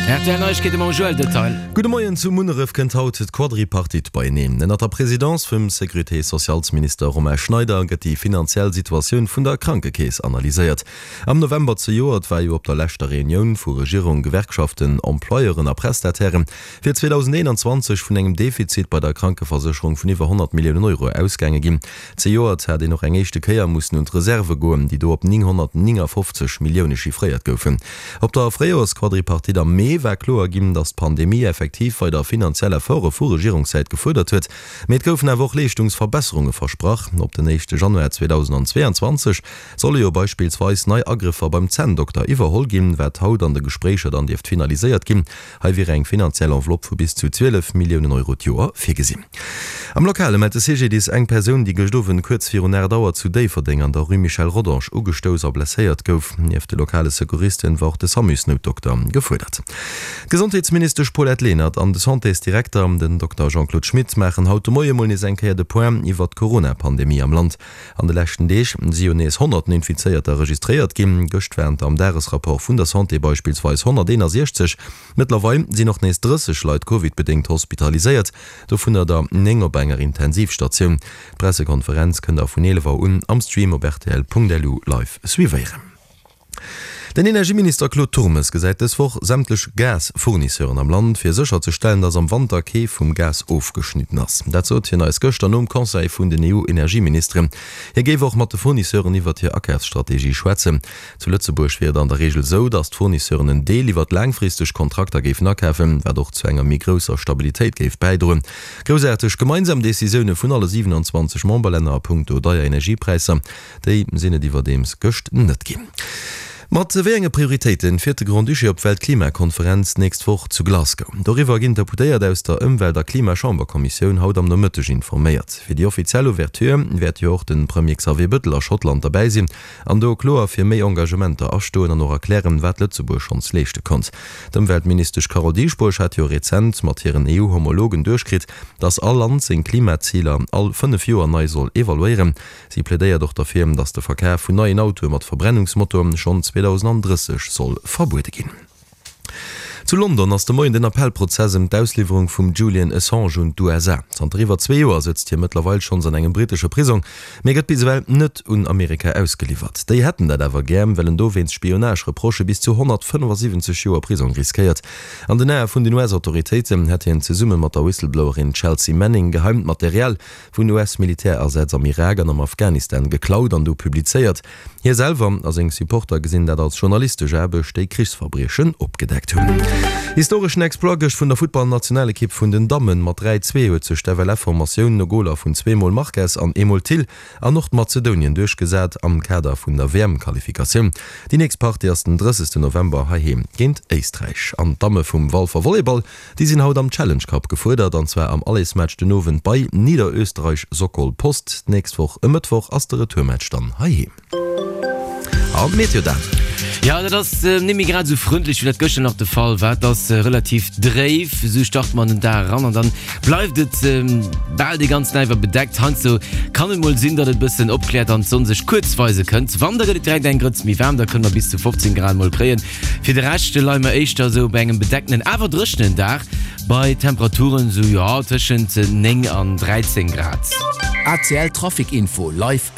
Rtl Neiegkeete mam Joël Detail. Gudde Moien, Zu Munneref kënnt haut d'Quadripartite beieneen. Ënnert der Presidence vum Sécurité-socialsminister Romain Schneider gëtt déi finanziell Situatioun vun der Krankekeess analyséiert. Am November zejoert war jo op der leschter Reunioun vu Regierung, Gewerkschaften, Employeuren a Prestatairen fir 2021 vun engem Defizit bei der Krankeversécherung vun iwwer 100 Milliounen Euro ausgaange ginn. Zejoert hat een och eng éischte Kéier mussen un d'Reserve goen, déi do op 959 Millioune chiffréiert goufen. Op der Fréijoersquadripartite am Mee war kloer ginn, datt d'Pandemie effektiv weider finanziell Efforte vu Regierungssäit gefuerdert huet. Mee et goufen awer och Leeschtungsverbesserunge versprach. Op den éischte Januar 2022 solle jo beispillsweis nei Agrëffer beim Zänndokter iwwerholl ginn, wat haut an de Gespréicher dann dierft finaliséiert ginn. Hei wier eng finanziell Enveloppe vu bis zu 12 Milliounen Euro d'Joer virgesinn. Am Lokale mellt de CGDIS eng Persoun, déi gëscht Owend kuerz virun 8 Auer zu Déifferdeng an der Rue Michel Rodange ugestouss a blesséiert gouf. Nieft de lokale Secouristen war och de Samusnoutdokter gefuerdert. D'Gesondheetsministesch Paulette Lenert an de Santésdirekter, den Dokter Jean-Claude Schmit, maachen haut de Moie mol nees eng Kéier de Point iwwert d'Corona-Pandemie am Land. An de leschten Deeg si jo nees honnerten Infizéierter registréiert ginn. Gëscht waren der am Dagesrapport vun der Santé beispillsweis 161. Mëttlerweil sinn och nees 30 Leit Covid-bedéngt hospitaliséiert, dovunner der 9 op enger Intensivstatioun. D'Pressekonferenz kënnt der vun 11 Auer un am Stream op rtl.lu live suivéieren. Den Energieminister Claude Turmes gesäit dës Woch sämtlech Gas-Fournisseuren am Land, fir sécherzestellen, datt am Wanter kee vum Gas ofgeschnidden ass. Dat sot hien eis gëschter nom Conseil vun den EU-Energieministeren. Hie géif och mat de Fournisseuren iwwert hir Akafsstrategie schwätzen. Zu Lëtzebuerg wier et an der Reegel esou, datt d'Fournisseuren en Deel iwwert laangfristeg Kontrakter géifen akafen, wat och zu enger méi grousser Stabilitéit géif bäidroen. Groussaarteg gemeinsam Decisioune vun alle 27 Memberlänner a punkto deier Energiepräisser. Déi sinn et iwwerdeems gëscht net ginn. Mat wéi enge Prioritéite fiert de Grand-Duché op d'Weltklimakonferenz d'nächst Woch zu Glasgow? Doriwwer ginn d'Deputéiert aus der Ëmwelt a Klimachamberkommissioun haut am Nomëtteg informéiert. Fir déi offiziell Ouverture wäert jo och de Premier Xavier Bëttel a Schottland derbäi sinn an do kloer fir méi Engagementer astoen an och erklären, wat Lëtzebuerg schonns leeschte konnt. D'Ëmweltministesch Carole Dieschbourg hat jo rezent mat hiren EU-Homologen duerchkritt, datt all Land seng Klimaziler all 5 Joer nei soll evaluéieren. Si plädéiert och derfir, datt de Verkaf vun neien Autoe mat Verbrennungsmotor schonn 2030 soll verbuede ginn. Zu London ass de Moien den Appellprozess ëm d'Ausliwwerung vum Julian Assange un d'USA. Zanter iwwer zwee Joer sëtzt hie mëttlerweil schonns an engem brittesche Prisong, mee gëtt bis ewell net un Amerika ausgeliwwert. Déi hätten dat awer gär, well en do wéinst Spionage-Reprochë bis zu 175 Joer Prisong riskéiert. An den Ae vun den US-Autoritéiten hätt hien zesumme mat der Whistleblowerin Chelsea Manning geheimt Material vun US-Militärasätz am Irak an am Afghanistan geklaut an du publizéiert. Hie selwer a seng Supporter gesinn dat als journalistesch Aarbecht, déi Krichsverbriechen opgedeckt hunn. Historeschen Exploit gëscht vun der Futtballnationalekipp vun den Dammen. Mat 3, 2 huet sech d'FLF-Formatioun no Goler vun zweemol Marques an eemol Thill an Nordmazedonien duerchgesat am Kader vun der WM-Qualifikatioun. Déi nächst Partie ass den 30 November heiheem géint Éisträich. An d'Damme vum Walfer Volleyball Déi sinn haut am Challenge Cup gefuerdert, an zwar am Allersmatch den Owend bei Niederösterreich Sokol Post. D'nächst Woch e Mëttwoch ass de Retourmatch dann heiheem. An d'Meteo Dan. Jo, dat ass net méi grad esou frëndlech, wéi dat gëschter nach de Fall war. Et ass relativ dréif, esou starte mer an den Dag eran an dann bleift et bal dee ganzen Dag iwwer bedeckt. Heiansdo kann et mol sinn, datt et e bëssen opkläert an d'Sonn sech kuerz weise kënnt. Wann, da gëtt et direkt eng Grëtz méi waarm, da kënne mer bis zu 15 Grad mol kréien. Fir de Rescht leie mer éischter esou bei engem bedeckenen, awer dréchenen Dag bei Temperaturen esou, jo, tëschent 9 an 13 Grad. ACL Trafic Info live.